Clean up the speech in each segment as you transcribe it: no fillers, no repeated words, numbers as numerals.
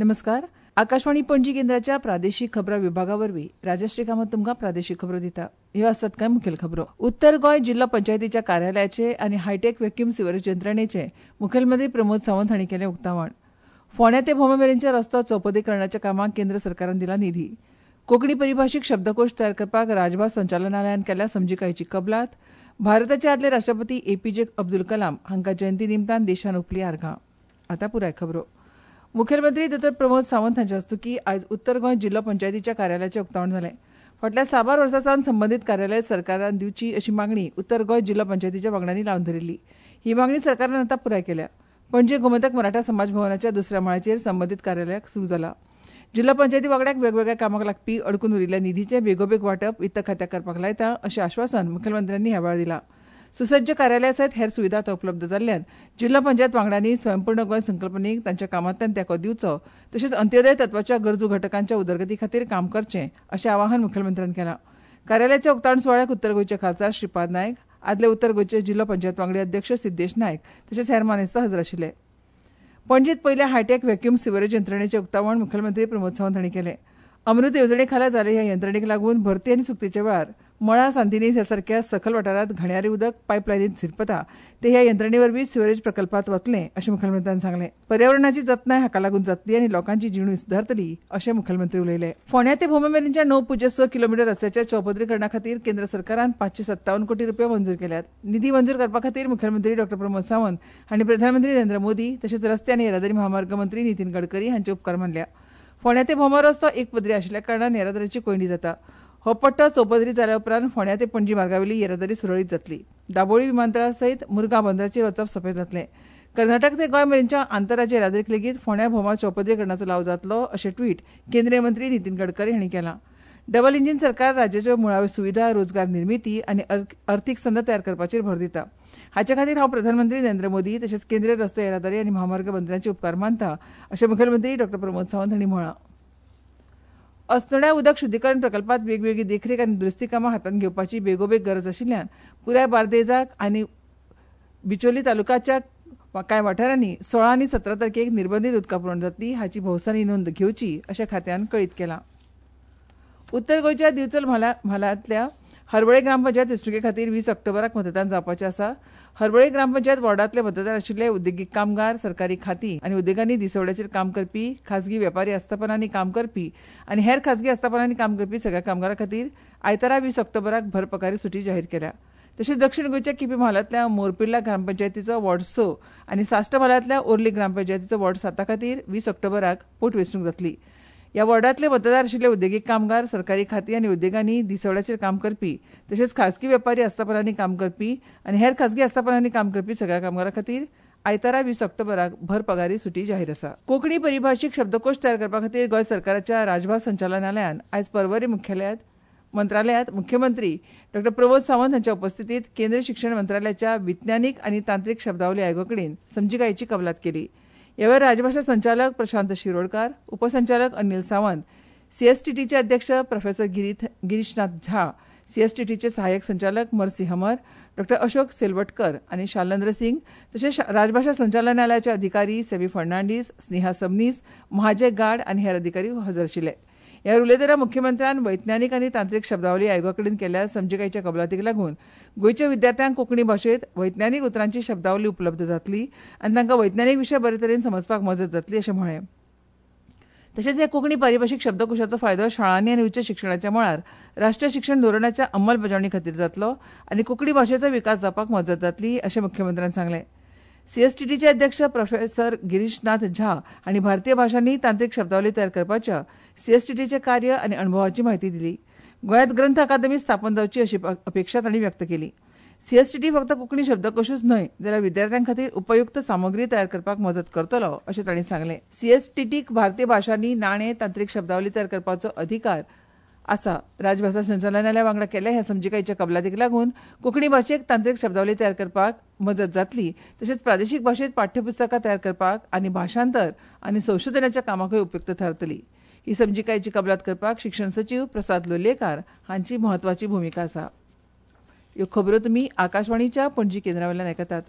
नमस्कार. आकाशवाणी पणजी केंद्राच्या प्रादेशीक खबरां विभागा वरवीं राजश्री कामत तुमकां प्रादेशीक खबरो दिता. ह्यो आसात कांय मुखेल खबरो. उत्तर गोंय जिल्लो पंचायतीच्या कार्यालयाचे आनी हायटेक व्हॅक्यूम सिवरेज यंत्रणेचे मुखेलमंत्री प्रमोद सावंत हांणी केलें उक्तावण. फोंड्या ते भोमा मेरेनच्या रस्तो चौपदरीकरणाच्या कामाक केंद्र सरकारान दिला निधी. कोंकणी परिभाशीक शब्दकोश तयार करपाक राजभास संचालनालयान केल्या समजिकायेची कबलात. भारताचे आदले राष्ट्रपती एपीजे अब्दुल कलाम हांकां जयंती निमतान देशान ओंपली आर्गां. आतां पुराय खबरो. मुखेलमंत्री दोतोर प्रमोद सावंत हांच्या हस्तुकीं आयज उत्तर गोंय जिल्लो पंचायतीच्या कार्यालयाचें उक्तावण जालें. फाटल्या साबार वर्सां सावन संबंदीत कार्यालय सरकारान दिवची अशी मागणी उत्तर गोंय जिल्लो पंचायतीच्या वांगड्यांनी लावन धरिल्ली. ही मागणी सरकारान आतां पुराय केल्या. पणजे गोमंतक मराठा समाज भवनाच्या दुसऱ्या माळ्याचेर संबंदीत कार्यालयाक सुरू जाला. जिल्लो पंचायती वांगड्याक वेगवेगळ्या कामाक लागपी अडकून उरिल्ल्या निधीचें बेगोबेग वांटप वित्त खात्याक करपाक लायता अशें आश्वासन मुखेलमंत्र्यांनी ह्या वेळार दिलां. सुसज्ज कार्यालया सयत हेर सुविधा आतां उपलब्ध जाल्ल्यान जिल्लो पंचायत वांगड्यांनी स्वयंपूर्ण गोंय संकल्पनेक तांच्या कामांतल्यान तेंको दिवचो तशेंच अंत्योदय तत्वाच्या गरजू घटकांच्या उदरगती खातीर काम करचें अशें आवाहन मुखेलमंत्र्यान केलां. कार्यालयाच्या उक्तावण सुवाळ्याक उत्तर गोंयचे खासदार श्रीपाद नायक, आदले उत्तर गोंयचे जिल्लो पंचायत वांगडी अध्यक्ष सिद्देश नायक तशेंच हेर मानेस्त हजर आशिल्ले. पणजेंत पयल्या हायटेक व्हॅक्यूम सिवरेज यंत्रणेचें उक्तावण मुखेलमंत्री प्रमोद सावंत हांणी केलें. अमृत येवजणे खाला जाल्ले ह्या यंत्रणेक लागून भरती आनी सुकतेच्या वेळार मळा सांतिनेज ह्या सारक्या सखल वाठारांत घाणयारें उदक पायपलायनींत झिरपता तें ह्या यंत्रणे वरवीं सिवरेज प्रकल्पांत वतलें अशें मुखेलमंत्र्यान सांगलें. पर्यावरणाची जतनाय हाका लागून जातली आनी लोकांची जिणूय सुदारतली अशें मुखेलमंत्री उलयले. फोंड्या ते भोमा मेरेनच्या 9.6 किलोमिटर रस्त्याच्या चौपदरीकरणा खातीर केंद्र सरकारान 557 कोटी रुपया मंजूर केल्यात. निधी मंजूर करपा खातीर मुखेलमंत्री डॉ प्रमोद सावंत हांणी प्रधानमंत्री नरेंद्र मोदी तशेंच रस्ते आनी येरादारी म्हामार्ग मंत्री नितीन गडकरी हांचे उपकार मानल्या. फोंड्या ते भोमा रस्तो एक पदरी आशिल्ल्या कारणान येरादारीची कोंयडी जाता. हो पट्टो चौपदरी जाल्या उपरांत फोंड्या ते पणजी मार्गावेली येरादारी सुरळीत जातली. दाबोळी विमानतळा सयत मुरगांव बंदराचेर वचप सोंपें जातलें. कर्नाटक ते गोंय मेरेनच्या आंतरराज्य येरादारीक लेगीत फोंड्या भोमा चौपदरीकरणाचो लाव जातलो अशें ट्वीट केंद्रीय मंत्री नितीन गडकरी हांणी केलां. डबल इंजीन सरकार राज्याच्यो मुळाव्यो सुविधा, रोजगार निर्मिती आनी अर्थीक संद तयार करपाचेर भर दिता. हाचे खातीर हांव प्रधानमंत्री नरेंद्र मोदी तशेंच केंद्रीय रस्तो येरादारी आनी म्हामार्ग मंत्र्यांचे उपकार मानता अशें मुखेलमंत्री डॉ प्रमोद सावंत हांणी म्हळां. अस्नोड्या उदक शुद्धीकरण प्रकल्पांत वेगवेगळी देखरेख आनी दुरुस्ती कामां हातांत घेवपाची बेगोबेग गरज आशिल्ल्यान पुराय बार्देजाक आनी बिचोली तालुक्याच्या कांय वाठारांनी 16 आनी 17 तारखेक निर्बंधीत उदका पुरवण जातली हाची भौसांनी नोंद घेवची अशें खात्यान कळीत केलां. उत्तर गोंयच्या दिवचल म्हालांतल्या हरवळे ग्रामपंचायत वेंचणुके खातीर 20 ऑक्टोबराक मतदान जावपाचें आसा. हरवळे ग्रामपंचायत वॉर्डांतले मतदार आशिल्ले उद्देगीक कामगार, सरकारी खातीं आनी उद्देगांनी दिसवड्याचेर काम करपी, खाजगी वेपारी आस्थापनांनी काम करपी आनी हेर खाजगी आस्थापनांनी काम करपी सगळ्या कामगारां खातीर आयतारा 20 ऑक्टोबराक भर पगारी सुटी जाहीर केल्या. तशेंच दक्षीण गोंयच्या केपी म्हालांतल्या मोरपिर्ला ग्रामपंचायतीचो वॉर्ड 6 आनी साश्ट म्हालांतल्या ओर्ली ग्रामपंचायतीचो वॉर्ड 7 खातीर 20 ऑक्टोबराक पोटवेंचणूक जातली. ह्या वॉर्डांतले मतदार आशिल्ले उद्देगीक कामगार, सरकारी खातीं आनी उद्देगांनी दिसवड्याचेर काम करपी तशेंच खाजगी वेपारी आस्थापनांनी काम करपी आनी हेर खाजगी आस्थापनांनी काम करपी सगळ्या कामगारां खातीर आयतारा 20 ऑक्टोबराक भर पगारी सुटी जाहीर आसा. कोंकणी परिभाशीक शब्दकोश तयार करपा खातीर गोंय सरकाराच्या राजभास संचालनालयान आयज पर्वरी मंत्रालयांत मुख्यमंत्री डॉ प्रमोद सावंत हांच्या उपस्थितीत केंद्रीय शिक्षण मंत्रालयाच्या विज्ञानीक आनी तांत्रीक शब्दावली आयोगा कडेन समजिकायेची कबलात केली. ह्या वेळार राजभाशा संचालक प्रशांत शिरोडकार, उपसंचालक अनिल सावंत, सीएसटीटीचे अध्यक्ष प्रोफेसर गिरीशनाथ झा, सीएसटीटीचे सहाय्यक संचालक मर्सी हमर, डॉ अशोक सेलवटकर आनी शालेंद्र सिंग तशेंच राजभाशा संचालनालयाचे अधिकारी सेबी फर्नांडीस, स्नेहा सबनीस, महाजय गाड आनी हेर अधिकारी हजर आशिल्ले. ह्या उलयतना मुख्यमंत्र्यान वैज्ञानीक आनी तांत्रीक शब्दावली आयोगा कडेन केल्ल्या समजिकायेच्या कबलातीक लागून गोंयच्या विद्यार्थ्यांक कोंकणी भाशेंत वैज्ञानीक उतरांची शब्दावली उपलब्ध जातली आनी तांकां वैज्ञानीक विशय बरे तरेन समजपाक मजत जातली अशें म्हळें. तशेंच ह्या कोंकणी परिभाशीक शब्दकोशाचो फायदो शाळांनी आनी उच्च शिक्षणाच्या मळार राष्ट्रीय शिक्षण धोरणाच्या अंमलबजावणी खातीर जातलो आनी कोंकणी भाशेचो विकास जावपाक मजत जातली अशें मुख्यमंत्र्यान सांगलें. सीएसटीटीचे अध्यक्ष प्रोफेसर गिरीशनाथ झा हांणी भारतीय भाशांनी तांत्रीक शब्दावली तयार करपाच्या सीएसटीटीचें कार्य आनी अणभवाची म्हायती दिली. गोंयांत ग्रंथ अकादमी स्थापन जावची अशी अपेक्षा तांणी व्यक्त केली. सीएसटीटी फक्त कोंकणी शब्दकोशूच न्हय जाल्यार विद्यार्थ्यां खातीर उपयुक्त सामग्री तयार करपाक मजत करतलो अशें तांणी सांगलें. सीएसटीटीक भारतीय भाशांनी नाणे तांत्रीक शब्दावली तयार करपाचो अधिकार आसा. राजभाशा संचालनालया वांगडा केल्ल्या ह्या समजिकायेच्या कबलातीक लागून कोंकणी भाशेक तांत्रीक शब्दावली तयार करपाक मजत जातली तशेंच प्रादेशीक भाशेंत पाठ्यपुस्तकां तयार करपाक आनी भाशांतर आनी संशोधनाच्या कामाकूय उपयुक्त थारतली. ही समजिकायेची कबलात करपाक शिक्षण सचीव प्रसाद लोलयेकार हांची म्हत्वाची भुमिका आसा. ह्यो खबरो तुमी आकाशवाणीच्या पणजी केंद्रावेल्यान आयकतात.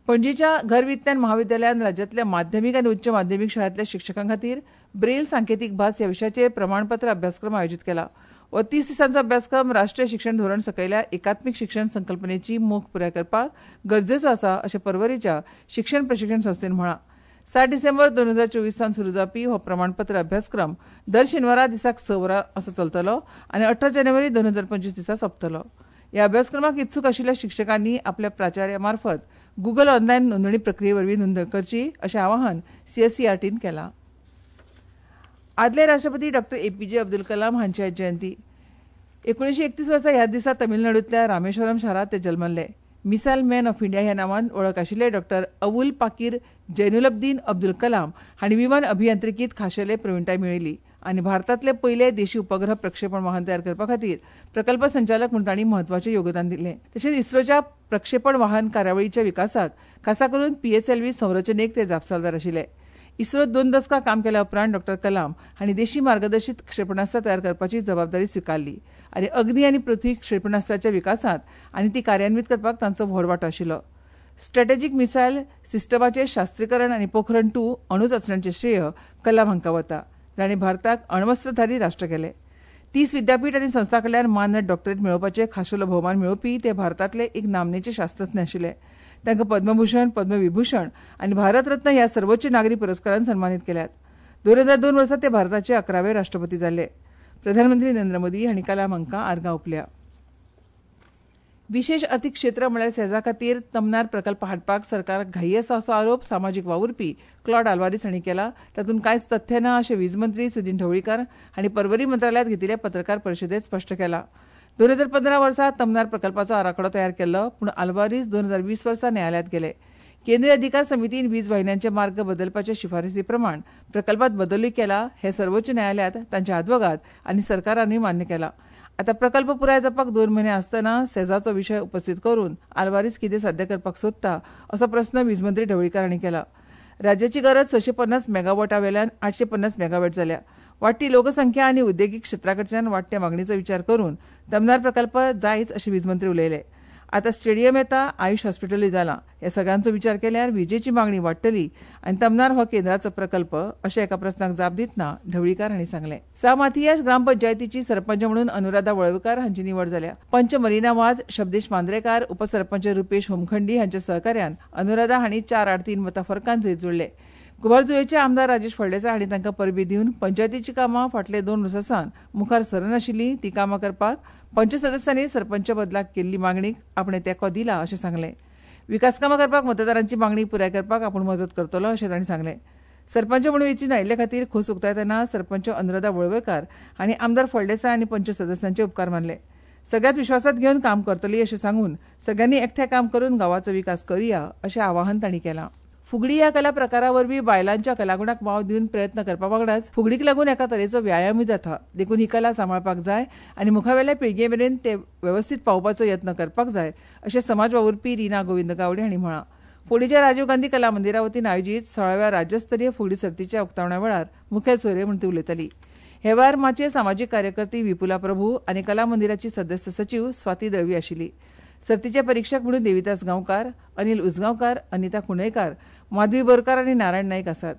पणजीच्या घर विज्ञान महाविद्यालयान राज्यांतल्या माध्यमीक आनी उच्च माध्यमीक शाळांतल्या शिक्षकां खातीर ब्रेल सांकेतीक भास ह्या विशयाचेर प्रमाणपत्र अभ्यासक्रम आयोजीत केला. हो 30 दिसांचो अभ्यासक्रम राष्ट्रीय शिक्षण धोरण सकयल्या एकात्मीक शिक्षण संकल्पनेची मोख पुराय करपाक गरजेचो आसा अशें पर्वरीच्या शिक्षण प्रशिक्षण संस्थेन म्हळां. 7 डिसेंबर 2024 सावन सुरू जावपी हो प्रमाणपत्र अभ्यासक्रम दर शेनवारा दिसाक 6 वरां असो चलतलो आनी 18 जानेवारी 2025 दिसा सोंपतलो. ह्या अभ्यासक्रमाक इत्सूक आशिल्ल्या शिक्षकांनी आपल्या प्राचार्या मार्फत गुगल ऑनलायन नोंदणी प्रक्रिये वरवीं नोंदणी करची अशें आवाहन सीएसईआरटीन केलां. आदले राष्ट्रपती डॉ. एपीजे अब्दुल कलाम हांची आयज जयंती. 1931 वर्सा ह्या दिसा तमिळनाडूंतल्या रामेश्वरम शारांत ते जल्मल्ले. मिसायल मॅन ऑफ इंडिया ह्या नांवान वळख आशिल्ले डॉ. अवुल पाकीर जैनुलब्दीन अब्दुल कलाम हांणी विमान अभियांत्रिकींत खाशेले प्रविणताय मेळयली आनी भारतांतले पयले देशी उपग्रह प्रक्षेपण वाहन तयार करपा खातीर प्रकल्प संचालक म्हूण तांणी म्हत्वाचें योगदान दिलें. तशेंच इस्रोच्या प्रक्षेपण वाहन कार्यावळीच्या विकासाक खासा करून पीएसएलव्ही संरचनेक ते जापसालदार आशिल्ले. इस्रोत 2 दसकां काम केल्या उपरांत डॉ. कलाम हांणी देशी मार्गदर्शीत क्षेपणास्त्रां तयार करपाची जबाबदारी स्विकारली आनी अग्नी आनी पृथ्वी क्षेपणास्त्राच्या विकासांत आनी ती कार्यान्वीत करपाक तांचो व्हड वांटो आशिल्लो. स्ट्रॅटेजीक मिसायल सिस्टमाचें शास्त्रीकरण आनी पोखरण 2 अणुचाचण्यांचें श्रेय कलाम हांकां वता, जांणी भारताक अण्वस्त्रधारी राष्ट्र केलें. 30 विद्यापीठ आनी संस्थां कडल्यान मानद डॉक्टरेट मेळोवपाचे खाशेलो भोवमान मेळोवपी ते भारतांतले एक नामनेचे शास्त्रज्ञ आशिल्ले. तांकां पद्मभूषण, पद्मविभूषण आनी भारतरत्न ह्या सर्वोच्च नागरी पुरस्कारान सन्मानीत केल्यात. 2002 वर्सा ते भारताचे 11वे राष्ट्रपती जाल्ले. प्रधानमंत्री नरेंद्र मोदी हांणी कलाम हांकां आर्गां ओंपल्या. विशेश अर्थीक क्षेत्र म्हळ्यार सेजा खातीर तमनार प्रकल्प हाडपाक सरकाराक घाई आसा असो आरोप सामाजीक वावुरपी क्लॉड आल्वारीस हांणी केला. तातूंत कांयच तथ्य ना अशें वीज मंत्री सुदिन ढवळीकार हांणी पर्वरी मंत्रालयांत घेतिल्ले पत्रकार परिशदेंत स्पश्ट केलां. 2015 वर्सा तमनार प्रकल्पाचो आराखडो तयार केल्लो, पूण आल्वारीस 2020 वर्सा न्यायालयांत गेले. केंद्रीय अधिकार समितीन वीज वाहिन्यांचे मार्ग बदलपाचे शिफारसी प्रमाण प्रकल्पात बदलूय केला हें सर्वोच्च न्यायालयांत तांच्या आदवोगाद आनी सरकारानूय मान्य केलां. आतां प्रकल्प पुराय जावपाक 2 म्हयने आसतना सेजाचो विशय उपस्थित करून आल्वारीस कितें साध्य करपाक सोदता असो प्रस्न वीज मंत्री ढवळीकार हांणी केला. राज्याची गरज 650 मेगावॉटा वेल्यान 850 मेगावॉट जाल्या. वाडटी लोकसंख्या आनी उद्देगीक क्षेत्रा कडच्यान वाडट्या मागणीचो विचार करून तमनार प्रकल्प जायच अशें वीज मंत्री उलयले. आतां स्टेडियम येता, आयुष हॉस्पिटलूय जालां. ह्या सगळ्यांचो विचार केल्यार विजेची मागणी वाडटली आनी तमनार हो केंद्राचो प्रकल्प अशें एका प्रस्नाक जाप दितना ढवळीकार हांणी सांगलें. सा माथियास ग्रामपंचायतीची सरपंच म्हणून अनुराधा वळवकार हांची निवड जाल्या. पंच मरिना वाज, शब्देश मांद्रेकार, उपसरपंच रुपेश होमखंडी हांच्या सहकार्यान अनुराधा हांणी 4-3 मतां फरकान जैत जोडलें. कुंभारजुवेचे आमदार राजेश फळदेसाय हांणी तांकां परबीं दिवन पंचायतीची कामां फाटले 2 वर्सां सावन मुखार सरनाशिल्लीं तीं कामां करपाक पंच सदस्यांनी सरपंच बदलाक केल्ली मागणीक आपणें तेंको दिला अशें सांगलें. विकास कामां करपाक मतदारांची मागणी पुराय करपाक आपूण मजत करतलो अशें तांणी सांगलें. सरपंच म्हणून वेंचून आयिल्ले खातीर खोस उक्तायतना सरपंच अनुराधा वळवयकार हांणी आमदार फळदेसाय आनी पंच सदस्यांचे उपकार मानले. सगळ्यांत विश्वासांत घेवन काम करतली अशें सांगून सगळ्यांनी एकठांय काम करून गांवाचो विकास करुया अशें आवाहन तांणी केलां. फुगडी ह्या कला प्रकारा वरवीं बायलांच्या कलागुणाक वाव दिवन प्रयत्न करपा वांगडाच फुगडीक लागून एका तरेचो व्यायामूय जाता, देखून ही कला सांबाळपाक जाय आनी मुखावेल्या पिळगे मेरेन ते वेवस्थीत पावोवपाचो यत्न करपाक जाय अशें समाज वावुरपी रीना गोविंद गावडे हांणी म्हळां. फोंडेच्या राजीव गांधी कला मंदिरा वतीन आयोजीत 16व्या राज्यस्तरीय फुगडी सर्तीच्या उक्तावणा वेळार मुखेल सोयरे म्हूण ती उलयताली. हे वेळार माचयेर सामाजीक कार्यकर्ती विपुला प्रभू आनी कला मंदिराची सदस्य सचीव स्वाती दळवी आशिल्ली. सर्तीचे परिक्षक म्हणून देविदास गांवकार, अनिल उजगांवकार, अनिता कुणयकार, माधवी बोरकार आनी नारायण नाईक आसात.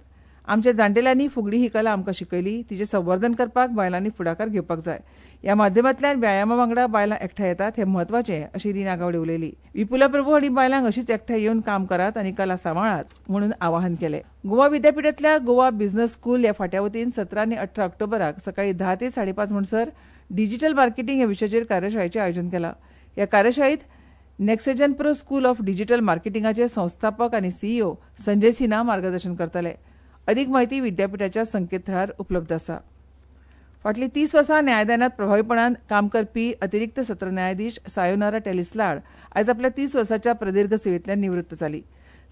आमच्या जाणटेल्यांनी फुगडी ही कला आमकां शिकयली, तिचें संवर्धन करपाक बायलांनी फुडाकार घेवपाक जाय. ह्या माध्यमांतल्यान व्यायामा वांगडा बायलां एकठांय येतात हें म्हत्वाचें अशी रीना गावडे उलयली. विपुला प्रभू हांणी बायलांक अशीच एकठांय येवन काम करात आनी कला सांबाळात म्हणून आवाहन केलें. गोवा विद्यापिठांतल्या गोवा बिझनेस स्कूल ह्या फांट्या वतीन 17 आनी 18 ऑक्टोबराक सकाळीं 10 ते 5:30 म्हणसर डिजिटल मार्केटिंग ह्या विशयाचेर कार्यशाळेचें आयोजन केलां. ह्या कार्यशाळेंत Nexagen pro school of digital मार्केटिंगाचे संस्थापक आनी सीईओ संजय सिन्हा मार्गदर्शन करतले. अदीक म्हायती विद्यापिठाच्या संकेतथळार उपलब्ध आसा. फाटलीं 30 वर्सां न्यायदानांत प्रभावीपणान काम करपी अतिरिक्त सत्र न्यायाधीश सायोनारा टेलिस लाड आयज आपल्या 30 वर्सांच्या प्रदीर्घ सेवेंतल्यान निवृत्त जाली.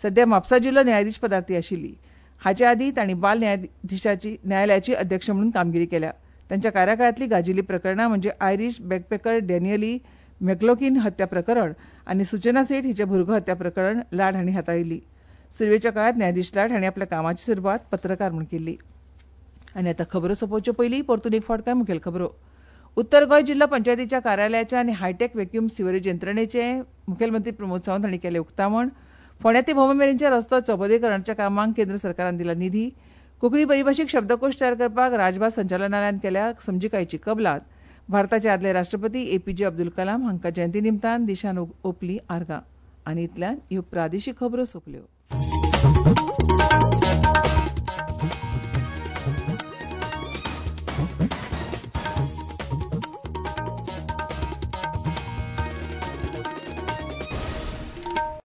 सध्या म्हापसा जिल्लो न्यायाधीश पदार ती आशिल्ली. हाचे आदीं तांणी बाल न्यायाधीशाची न्यायालयाची अध्यक्ष म्हणून कामगिरी केल्या. तांच्या कार्यकाळांतली गाजिल्ली प्रकरणां म्हणजे आयरीश बॅकपॅकर डॅनियली मॅकलॉकीन हत्या प्रकरण आनी सुचना सेठ हिचें भुरगो हत्या प्रकरण लाड हांणी हाताळिल्ली. सुरवेच्या काळांत न्यायाधीश लाड हांणी आपल्या कामाची सुरवात पत्रकार म्हूण केल्ली. आनी आतां खबरो सोंपोवच्यो पयलीं परतून एक फावट कांय मुखेल खबरो. उत्तर गोंय जिल्लो पंचायतीच्या कार्यालयाच्या आनी हायटेक व्हॅक्यूम सिवरेज यंत्रणेचें मुखेलमंत्री प्रमोद सावंत हांणी केलें उक्तावण. फोंड्या ते भोमा मेरेनच्या रस्तो चौपदरीकरणाच्या कामांक केंद्र सरकारान दिला निधी. कोंकणी परिभाशीक शब्दकोश तयार करपाक राजभास संचालनालयान केल्या समजिकायेची कबलात. भारताचे आदले राष्ट्रपती एपीजे अब्दुल कलाम हांकां जयंती निमतान देशान ओंपली आर्गां. आनी इतल्यान ह्यो प्रादेशीक खबरो सोंपल्यो.